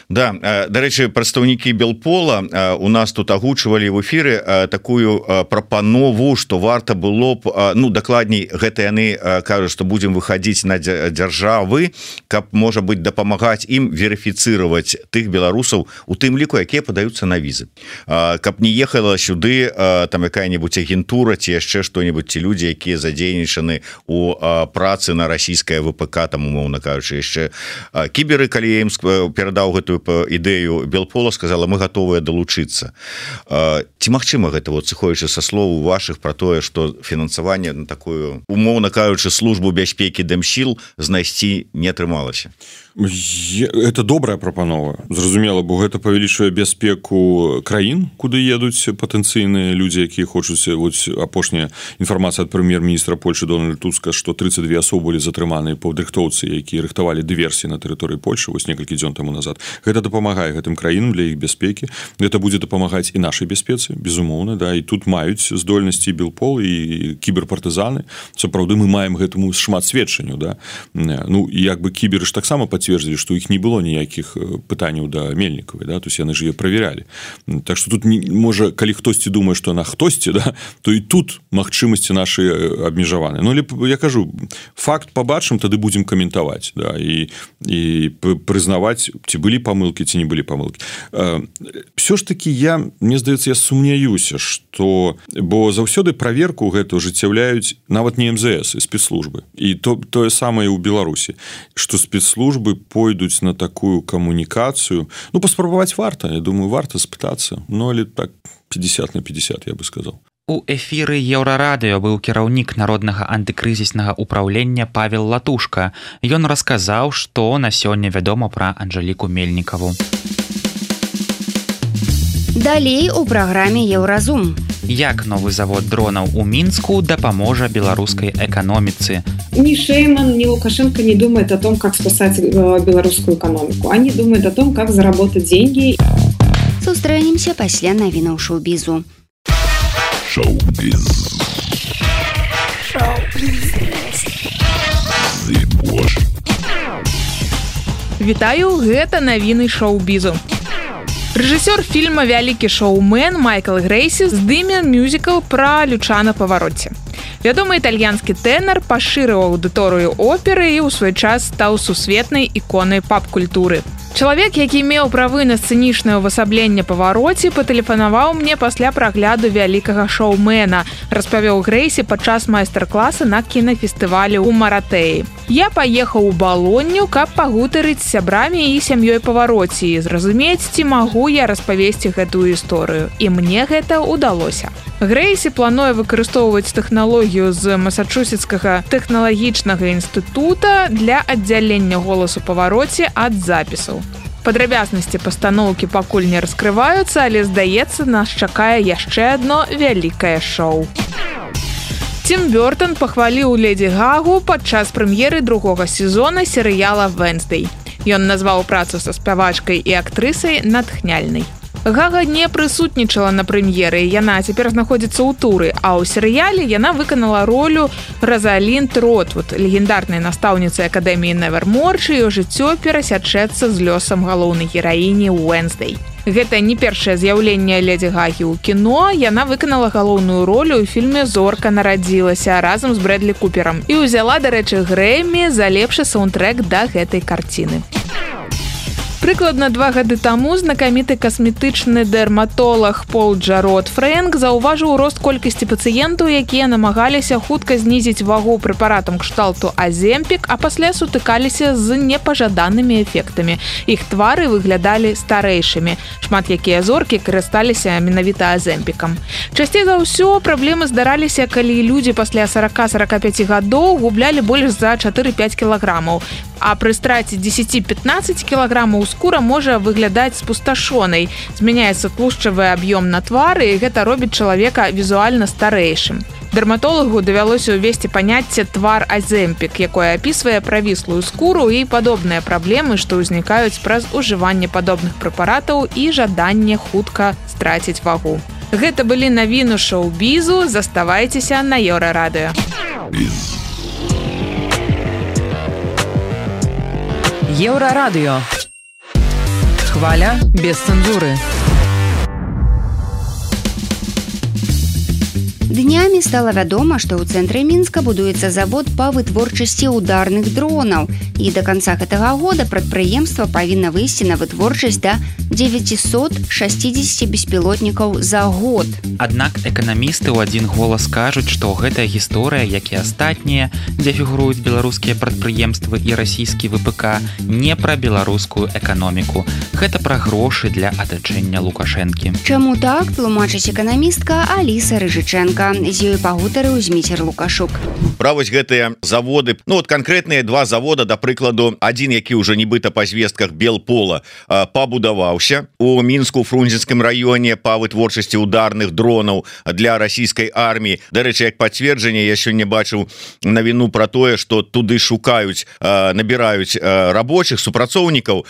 Да, дарэчы, прадстаўнікі Белпола у нас тут агучвалі в эфіры такую прапанову, што варта было б, ну, дакладней, гэта яны кажуць, што будзем выхадзіць на дзяржавы, каб, можа быць, дапамагаць ім верыфіцыраваць тых беларусаў, у тым ліку, якія падаюцца на візы. Каб не ехала сюды там якая-небудзь агентура ці яшчэ што-небудзь, ці людзі, якія задзейнічаны у працы на расійскае ВПК, там, умоўна кажучы, яшчэ кіберы, калі я ім перадаў гэтую ідэю Белпола, сказала, мы гатовыя далучыцца. Ці магчыма гэта, вот, сыходзячы са слоў вашых пра тое, што фінансаванне на такую, умоўна кажучы, службу бяспекі Дэмсіл знайсці не атрымалася? Это добрая прапанова, зразумела, бо гэта павялічвае бяспеку краін, куды едуць патэнцыйныя людзі, якія хочуць. Вот апошняя інфармацыя ад прэм'ер-міністра Польшы Дональда Туска, што тридцать две асобы былі затрыманыя паўдырыхтоўцы, якія рыхтавалі дыверсіі на тэрыторыі Польшы вось некалькі дзён таму назад. Гэта дапамагае гэтым краінам для іх бяспекі. Гэта будзе дапамагаць і нашай бяспецы, безумоўна, да, і тут маюць здольнасці Белпол і кіберпартызаны. Сапраўды мы маем гэтаму шмат сведчанняў, да. Ну, як бы кіберы ж таксама пацвердзілі, што іх не было ніякіх пытанняў да Мельнікавай, да, то есть яны ж яе праверялі. Так што тут не, можа, калі хтосьці думае, што яна хтосьці, да, то і тут магчымасці нашы абмежаваны. Ну, але я кажу, факт пабачым, тады будзем каментаваць, да, і, і прызнаваць, ці былі памылкі, ці не былі памылкі. Всё ж такі я, мне здаецца, я сумняюся, што, бо заўсёды праверку гэту ажыццяўляюць нават не эм зэ эс, і спецслужбы. І то, тое самае ў Беларусі, што спецслужбы пойдуць на такую камунікацыю. Ну, паспрабаваць варта, я думаю, варта спытацца. Ну, але так пятьдесят на пятьдесят, я бы сказал. У эфіры Еўрарадыё быў кіраўнік народнага антыкрызіснага ўпраўлення Павел Латушка. Ён расказаў, што на сёння вядома пра Анжаліку Мельнікаву. Далей у праграме Еўразум. Як новы завод дронаў у Мінску дапаможа беларускай эканоміцы. Ни Шейман, ни Лукашенко не думают о том, как спасать белорусскую экономику. Они думают о том, как заработать деньги. Сустрэнемся пасля навінаў шоу-бізу. Шоу-біз. Шоу-біз. Вітаю, гэта навіны шоу-бізу. Рэжысёр фільма «Вялікі шоумен» Майкл Грэйсі здыме мюзікл пра Люча на павароце. Вядомы італьянскі тэнар пашырыў аўдыторыю оперы і ў свой час стаў сусветнай іконай пап-культуры. Чалавек, які меў правы на сцэнічнае ўвасабленне павароце, патэлефанаваў мне пасля прагляду «Вялікага шоумена», распавёў Грэйсі падчас майстар-класа на кінафестывалі ў Маратэі. Я паехаў у Балонню, каб пагутарыць з сябрамі і сям'ёй павароце і зразумець, ці магу я распавесці гэтую гісторыю. І мне гэта ўдалося. Грэйсі плануе выкарыстоўваць тэхналогію з Масачусетскага тэхналагічнага інстытута для аддзялення голасу павароце ад запісаў. Падрабязнасці пастаноўкі пакуль не раскрываюцца, але, здаецца, нас чакае яшчэ адно вялікае шоу. Тім Бёртон пахваліў Леді Гагу падчас прэм'еры другога сезона серыяла «Вэнсдэй». Ён назваў працу са спявачкай і актрысай натхняльнай. Гага не прысутнічала на прэм'еры, яна цяпер знаходзіцца ў туры, а ў серыяле яна выканала ролю Розалінд Ротвуд, легендарнай настаўніцы акадэміі Невермор, чыё жыццё перасячэцца з лёсам галоўнай гераіні Уэнсдэй. Гэта не першае з'яўленне Леді Гагі ў кіно, яна выканала галоўную ролю ў фільме «Зорка нарадзілася» разам з Брэдлі Куперам і ўзяла, дарэчы, Грэмі за лепшы саундтрэк да гэтай карціны. Прыкладна два гады таму знакаміты касметычны дэрматолог Пол Джарод Фрэнк заўважыў рост колькасці пацыентаў, якія намагаліся хутка знізіць вагу прэпаратам кшталту Аземпік, а пасля сутыкаліся з непажаданымі эфектамі. Іх твары выглядалі старэйшымі. Шмат якія зоркі карысталіся менавіта Аземпікам. Часцей за ўсё праблемы здараліся, калі людзі пасля сорок-сорок пять гадоў гублялі больш за чатыры-пяць кілаграмаў. А пры страце дзесяць-пятнаццаць кілаграмаў скура можа выглядаць спусташонай. Змяняецца тлушчавы аб'ём на твары, і гэта робіць чалавека візуальна старэйшым. Дэрматолагу давялося ўвесці паняцце «твар Аземпік», якое апісвае правіслую скуру і падобныя праблемы, што ўзнікаюць праз ужыванне падобных прэпаратаў і жаданне хутка страціць вагу. Гэта былі навіны шоу-бізу, заставайцеся на Еўрарадыё. Еўрарадыё. Хваля без цэнзуры. Днямі стала вядома, што ў цэнтры Мінска будуецца завод па вытворчасці ударных дронаў. І да канца гэтага года прадпрыемства павінна выйсці на вытворчасць да девятьсот шестьдесят беспілотнікаў за год. Аднак эканамісты ў адзін голас кажуць, што гэтая гісторыя, як і астатнія, дзе фігуруюць беларускія прадпрыемствы і расійскі вэ пэ ка, не пра беларускую эканоміку. Гэта пра грошы для атачэння Лукашэнкі. Чаму так, тлумачыць эканамістка Аліса Рыжыченка. З ёй пагутарыў Зміцер Лукашук. Пра вось гэтыя заводы, ну вот канкрэтныя два завода, да прыкладу, адзін, які ўжо нібыта па звестках Белпола пабудаваўся у Мінску, Фрунзенскім раёне па вытворчасці ударных дронаў для расійскай арміі. Дарэчы, як пацверджанне, я сёння бачыў навіну пра тое, што туды шукаюць, набіраюць рабочых супрацоўнікаў.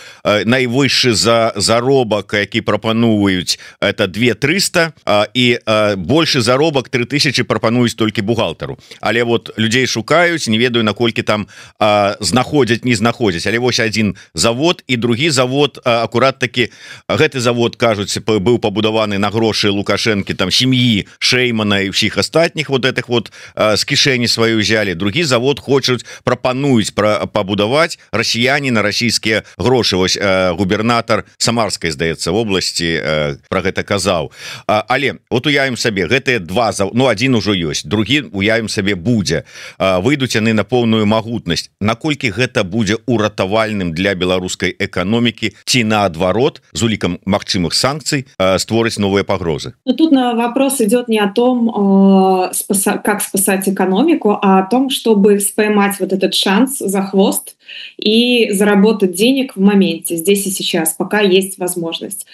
Найвышшы за заробак, які прапануюць, это две трыста, і большы заробак три тысячи прапануюць толькі бухгалтару. Але вот людзей шукаюць, не ведаю, наколькі там а, знаходзяць, не знаходзяць. Але вось адзін завод і другі завод, а, акурат такі, гэты завод, кажуць, быў пабудаваны на грошы Лукашэнкі, там сям'і Шеймана і ўсіх астатніх вот этих вот а, з кішэні сваю ўзялі. Другі завод хочуць, прапануюць пра, пабудаваць расіяне на расійскія грошы. Вось а, губернатар Самарскай, здаецца, вобласці а, пра гэта казаў. А, але вот уявім сабе, гэтыя два заводы, ну один ужо ёсць, другі, уявім сабе, будзе, выйдуць яны на поўную магутнасць. Наколькі гэта будзе уратавальным для беларускай эканомікі, ці наадварот з улікам магчымых санкцый створыць новыя пагрозы? Но тут на вопрос идет не о том, как спасать экономику, а о том, чтобы споймать вот этот шанс за хвост и заработать денег в моменте, здесь и сейчас, пока есть возможность.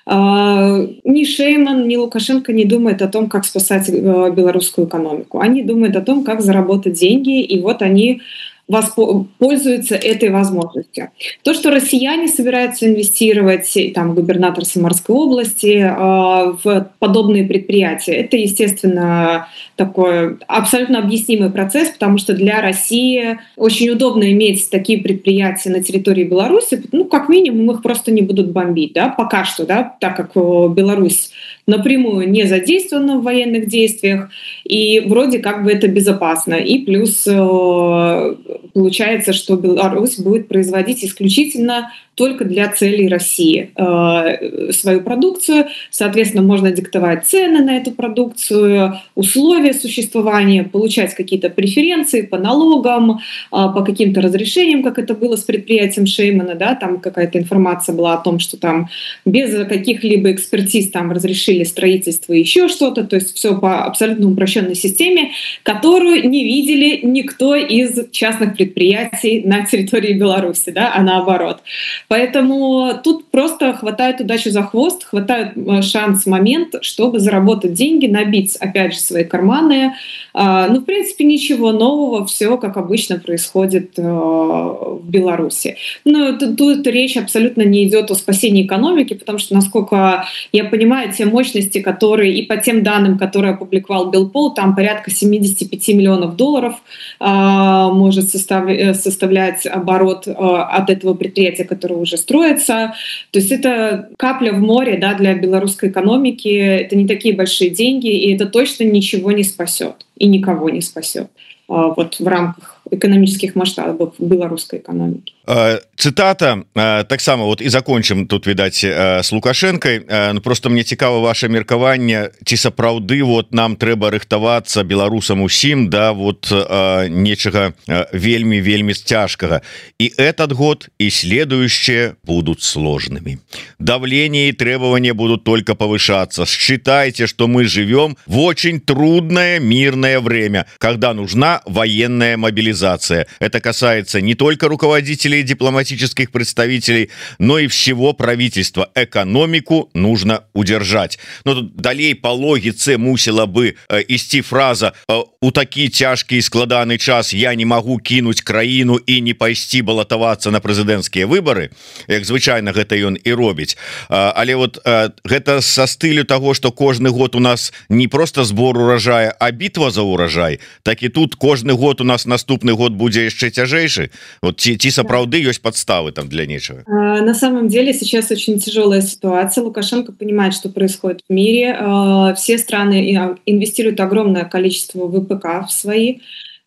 Ни Шейман, ни Лукашенко не думают о том, как спасать белорусскую экономику. Они думают о том, как заработать деньги, и вот они пользуются этой возможностью. То, что россияне собираются инвестировать, там, губернатор Самарской области, в подобные предприятия, это, естественно, такой абсолютно объяснимый процесс, потому что для России очень удобно иметь такие предприятия на территории Беларуси, ну, как минимум, их просто не будут бомбить, да, пока что, да, так как Беларусь напрямую не задействована в военных действиях, и вроде как бы это безопасно. И плюс получается, что Беларусь будет производить исключительно только для целей России э, свою продукцию. Соответственно, можно диктовать цены на эту продукцию, условия существования, получать какие-то преференции по налогам, э, по каким-то разрешениям, как это было с предприятием Шеймана. Да? Там какая-то информация была о том, что там без каких-либо экспертиз там разрешили строительство и еще что-то. То есть все по абсолютно упрощенной системе, которую не видели никто из частных предприятий на территории Беларуси, да? А наоборот. Поэтому тут просто хватает удачи за хвост, хватает шанс, момент, чтобы заработать деньги, набить, опять же, свои карманы. Ну, в принципе, ничего нового, все как обычно происходит в Беларуси. Но тут речь абсолютно не идет о спасении экономики, потому что, насколько я понимаю, те мощности, которые, и по тем данным, которые опубликовал Белпол, там порядка семьдесят пять миллионов долларов может составлять оборот от этого предприятия, которое уже строится. То есть это капля в море, да, для белорусской экономики. Это не такие большие деньги, и это точно ничего не спасет и никого не спасет вот в рамках экономических масштабов белорусской экономики. Цитата таксама вот і закончым тут відаць с Лукашенкой. Ну, просто мне цікава ваше меркаванне, ці сапраўды вот нам трэба рыхтавацца беларусам усім да вот нечага вельмі вельмі цяжкага, и этот год и следующие будут сложными. Давление и требования будут только повышаться. Считайте, что мы живем в очень трудное мирное время, когда нужна военная мобилизация. Это касается не только руководителей дипломатических представителей, но и всего правительства. Экономику нужно удержать. Но тут далей по логице мусила бы э, ісці фраза э, у такі цяжкі складаны час я не могу кинуть краіну и не пайсці балатавацца на прэзідэнцкія выборы, як звычайно гэта ён и робіць. э, але вот э, гэта со стылю того, что кожны год у нас не просто сбор урожая, а битва за урожай, так и тут кожны год у нас наступны год будзе яшчэ цяжэйшы. Вот ці, ці сапраўды есть подставы там для нечего? На самом деле сейчас очень тяжелая ситуация. Лукашенко понимает, что происходит в мире. Все страны инвестируют огромное количество ВПК в свои.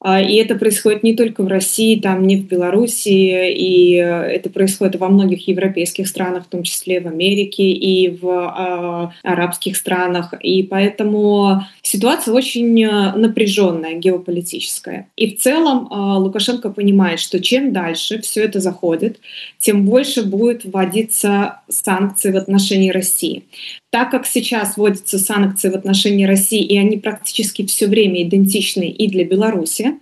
И это происходит не только в России, там, не в Беларуси, и это происходит во многих европейских странах, в том числе в Америке и в а, арабских странах. И поэтому ситуация очень напряженная, геополитическая. И в целом а, Лукашенко понимает, что чем дальше все это заходит, тем больше будет вводиться санкции в отношении России. Так как сейчас вводятся санкции в отношении России, и они практически все время идентичны и для Беларуси,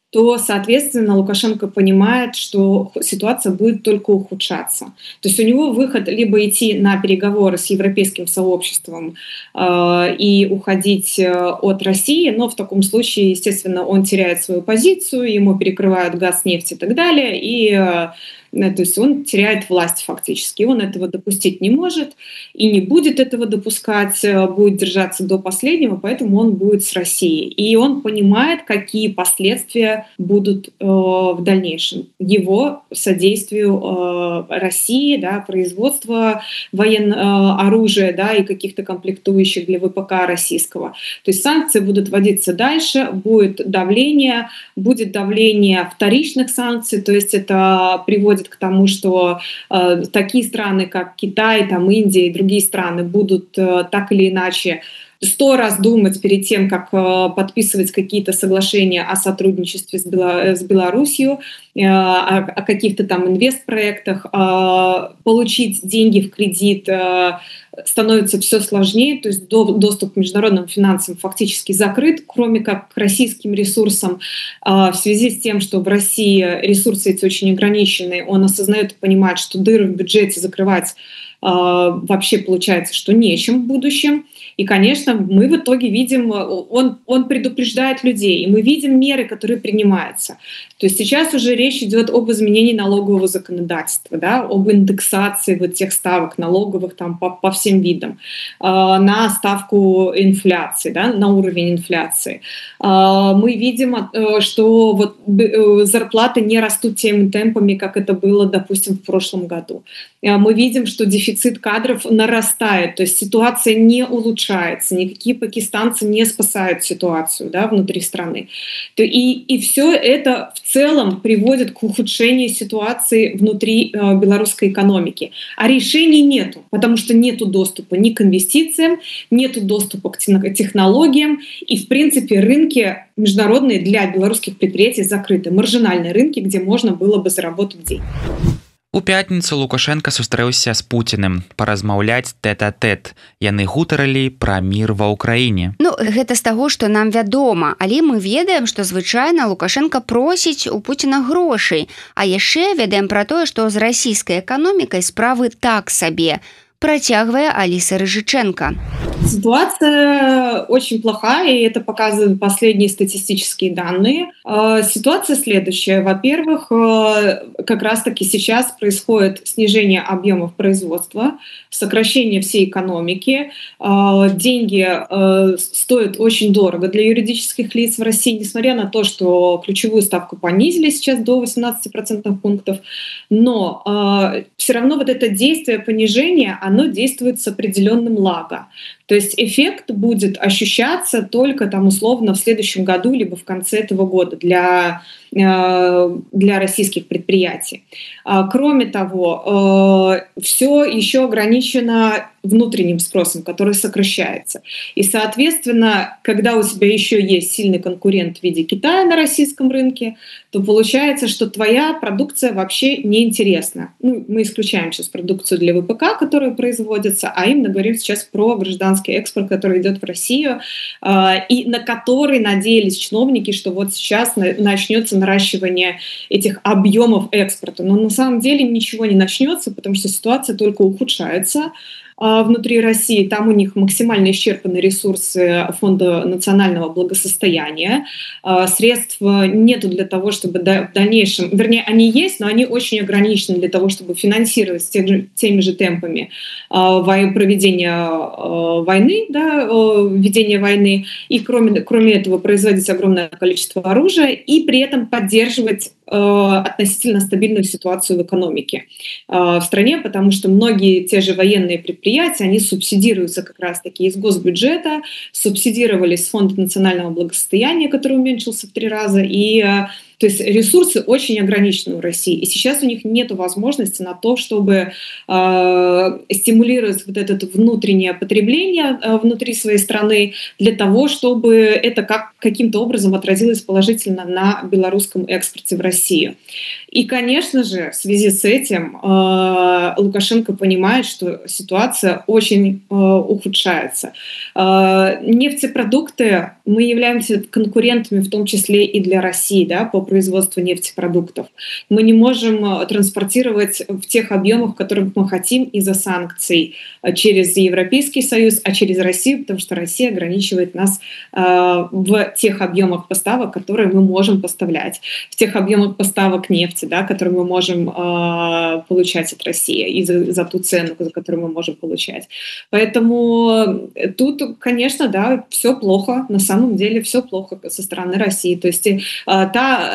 то, соответственно, Лукашенко понимает, что ситуация будет только ухудшаться. То есть у него выход либо идти на переговоры с европейским сообществом э, и уходить от России, но в таком случае, естественно, он теряет свою позицию, ему перекрывают газ, нефть и так далее, и э, то есть он теряет власть фактически. Он этого допустить не может и не будет этого допускать, будет держаться до последнего, поэтому он будет с Россией. И он понимает, какие последствия будут э, в дальнейшем его содействию э, России, да, производства военного э, оружия, да, и каких-то комплектующих для ВПК российского. То есть санкции будут вводиться дальше, будет давление, будет давление вторичных санкций, то есть это приводит к тому, что э, такие страны, как Китай, там, Индия и другие страны будут э, так или иначе сто раз думать перед тем, как подписывать какие-то соглашения о сотрудничестве с, Бело- с Беларусью, о, о каких-то там инвестпроектах, получить деньги в кредит становится все сложнее, то есть доступ к международным финансам фактически закрыт, кроме как к российским ресурсам. В связи с тем, что в России ресурсы эти очень ограничены, он осознает и понимает, что дыры в бюджете закрывать вообще получается, что нечем в будущем. И, конечно, мы в итоге видим, он, он предупреждает людей, и мы видим меры, которые принимаются. То есть сейчас уже речь идет об изменении налогового законодательства, да, об индексации вот тех ставок налоговых там, по, по всем видам, э, на ставку инфляции, да, на уровень инфляции. Э, мы видим, э, что вот, э, зарплаты не растут теми темпами, как это было, допустим, в прошлом году. Э, мы видим, что дефицит кадров нарастает, то есть ситуация не улучшается. Никакие пакистанцы не спасают ситуацию, да, внутри страны. И, и все это в целом приводит к ухудшению ситуации внутри э, белорусской экономики. А решений нету, потому что нету доступа ни к инвестициям, нету доступа к технологиям. И, в принципе, рынки международные для белорусских предприятий закрыты. Маржинальные рынки, где можно было бы заработать деньги. У пятніцу Лукашенко сустрэўся з Пуціным паразмаўляць тэт-а-тэт. Яны гутарылі пра мір ва ўкраіне. Ну, гэта з таго, што нам вядома, але мы ведаем, што звычайна Лукашенко просіць у Пуціна грошай, а яшчэ ведаем пра тое, што з расійскай эканомікай справы так сабе. Протягивая Алиса Рыжиченко. Ситуация очень плохая, и это показывают последние статистические данные. Ситуация следующая. Во-первых, как раз-таки сейчас происходит снижение объемов производства, сокращение всей экономики. Деньги стоят очень дорого для юридических лиц в России, несмотря на то, что ключевую ставку понизили сейчас до восемнадцати процентных пунктов. Но все равно вот это действие понижения, оно действует с определенным лагом. То есть эффект будет ощущаться только там условно в следующем году либо в конце этого года для, для российских предприятий. Кроме того, все еще ограничено внутренним спросом, который сокращается. И, соответственно, когда у тебя еще есть сильный конкурент в виде Китая на российском рынке, то получается, что твоя продукция вообще неинтересна. Ну, мы исключаем сейчас продукцию для вэ пэ ка, которая производится, а именно говорим сейчас про гражданский экспорт, который идет в Россию, и на который надеялись чиновники, что вот сейчас начнется наращивание этих объемов экспорта. Но на самом деле ничего не начнется, потому что ситуация только ухудшается внутри России. Там у них максимально исчерпаны ресурсы Фонда национального благосостояния. Средств нету для того, чтобы в дальнейшем... Вернее, они есть, но они очень ограничены для того, чтобы финансировать теми же темпами проведения войны, да, ведения войны, и кроме, кроме этого производить огромное количество оружия и при этом поддерживать относительно стабильную ситуацию в экономике в стране, потому что многие те же военные предприятия, они субсидируются как раз-таки из госбюджета, субсидировались с Фонда национального благосостояния, который уменьшился в три раза, и то есть ресурсы очень ограничены у России, и сейчас у них нет возможности на то, чтобы э, стимулировать вот это внутреннее потребление э, внутри своей страны для того, чтобы это как, каким-то образом отразилось положительно на белорусском экспорте в Россию. И, конечно же, в связи с этим э, Лукашенко понимает, что ситуация очень э, ухудшается. Э, нефтепродукты, мы являемся конкурентами в том числе и для России, да, по производству нефтепродуктов. Мы не можем транспортировать в тех объемах, которых мы хотим из-за санкций через Европейский Союз, а через Россию, потому что Россия ограничивает нас э, в тех объемах поставок, которые мы можем поставлять, в тех объемах поставок нефти, да, которые мы можем э, получать от России и за, за ту цену, за которую мы можем получать. Поэтому тут, конечно, да, все плохо, на самом деле все плохо со стороны России. То есть э, та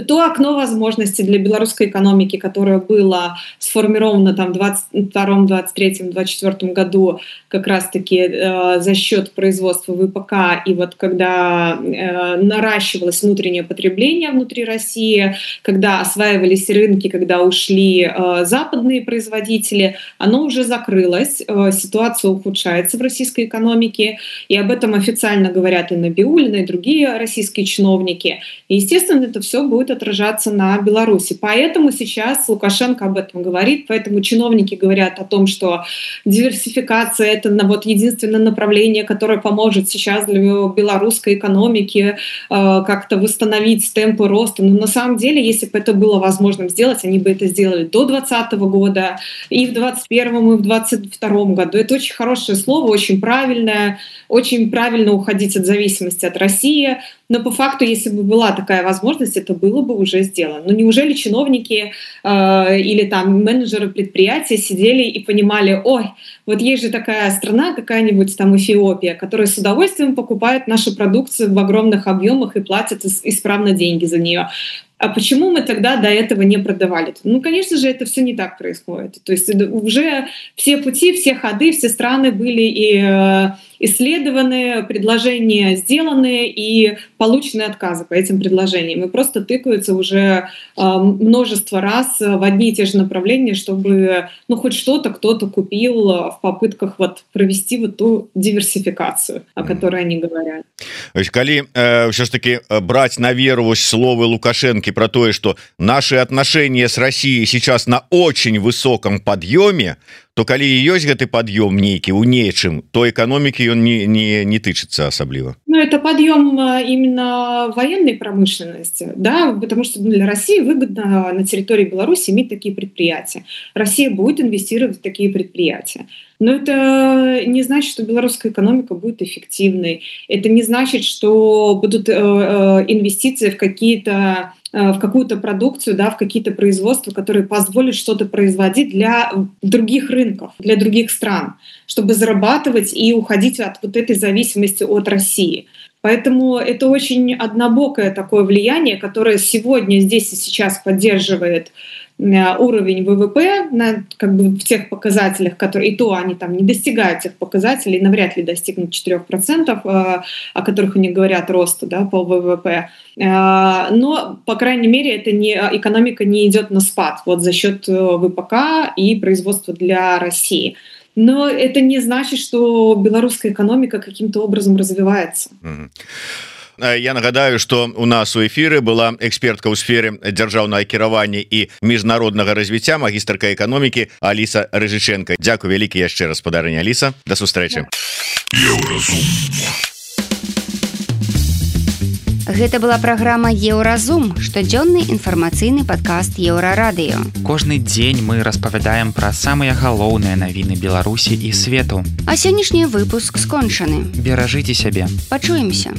то окно возможностей для белорусской экономики, которое было сформировано там в двадцать втором, двадцать третьем, двадцать четвёртом году как раз-таки э, за счет производства ВПК, и вот когда э, наращивалось внутреннее потребление внутри России, когда осваивались рынки, когда ушли э, западные производители, оно уже закрылось, э, ситуация ухудшается в российской экономике, и об этом официально говорят и Набиуллина, и другие российские чиновники. И, естественно, это все будет отражаться на Беларуси. Поэтому сейчас Лукашенко об этом говорит, поэтому чиновники говорят о том, что диверсификация — это вот единственное направление, которое поможет сейчас для белорусской экономики э, как-то восстановить темпы роста. Но на самом деле, если бы это было возможным сделать, они бы это сделали до двадцатого года, и в двадцать первом, и в двадцать втором году. Это очень хорошее слово, очень правильное, очень правильно уходить от зависимости от России. Но по факту, если бы была такая возможность, это было бы уже сделано. Но неужели чиновники э, или там менеджеры предприятия сидели и понимали: ой, вот есть же такая страна, какая-нибудь там Эфиопия, которая с удовольствием покупает нашу продукцию в огромных объемах и платит исправно деньги за нее. А почему мы тогда до этого не продавали? Ну, конечно же, это все не так происходит. То есть уже все пути, все ходы, все страны были и исследованы, предложения сделаны и получены отказы по этим предложениям. И просто тыкаются уже множество раз в одни и те же направления, чтобы ну, хоть что-то кто-то купил в попытках вот провести вот ту диверсификацию, о которой они говорят. Коли э, все ж таки брать на веру словы Лукашенко про то, что наши отношения с Россией сейчас на очень высоком подъеме, то калі ёсць гэты пад'ём нейкі у нечым, то экономики он не, не, не тычыцца асабліва. Ну, это подъем именно военной промышленности, да, потому что для России выгодно на территории Беларуси иметь такие предприятия. Россия будет инвестировать в такие предприятия. Но это не значит, что белорусская экономика будет эффективной. Это не значит, что будут инвестиции в какие-то в какую-то продукцию, да, в какие-то производства, которые позволят что-то производить для других рынков, для других стран, чтобы зарабатывать и уходить от вот этой зависимости от России. Поэтому это очень однобокое такое влияние, которое сегодня здесь и сейчас поддерживает уровень ВВП на, как бы, в тех показателях, которые и то они там не достигают тех показателей, навряд ли достигнут четырех процентов, о которых они говорят, роста, да, по ВВП. Но, по крайней мере, это не, экономика не идет на спад вот, за счет ВПК и производства для России. Но это не значит, что белорусская экономика каким-то образом развивается. Mm-hmm. Я нагадаю, что у нас у эфиры была экспертка ў сфере дзяржаўнага кіравання і міжнароднага развіцця, магістрка эканомікі Аліса Рыжыченко. Дзякуй вялікі яшчэ раз, спадарыня Аліса. Да сустрэчы. Гэта была праграма Еўразум, штодзённы інфармацыйны падкаст Еўрарадыё. Кожны дзень мы распавядаем пра самыя галоўныя навіны Беларусі і свету. А сённяшні выпуск скончаны. Беражыце сябе. Пачуемся.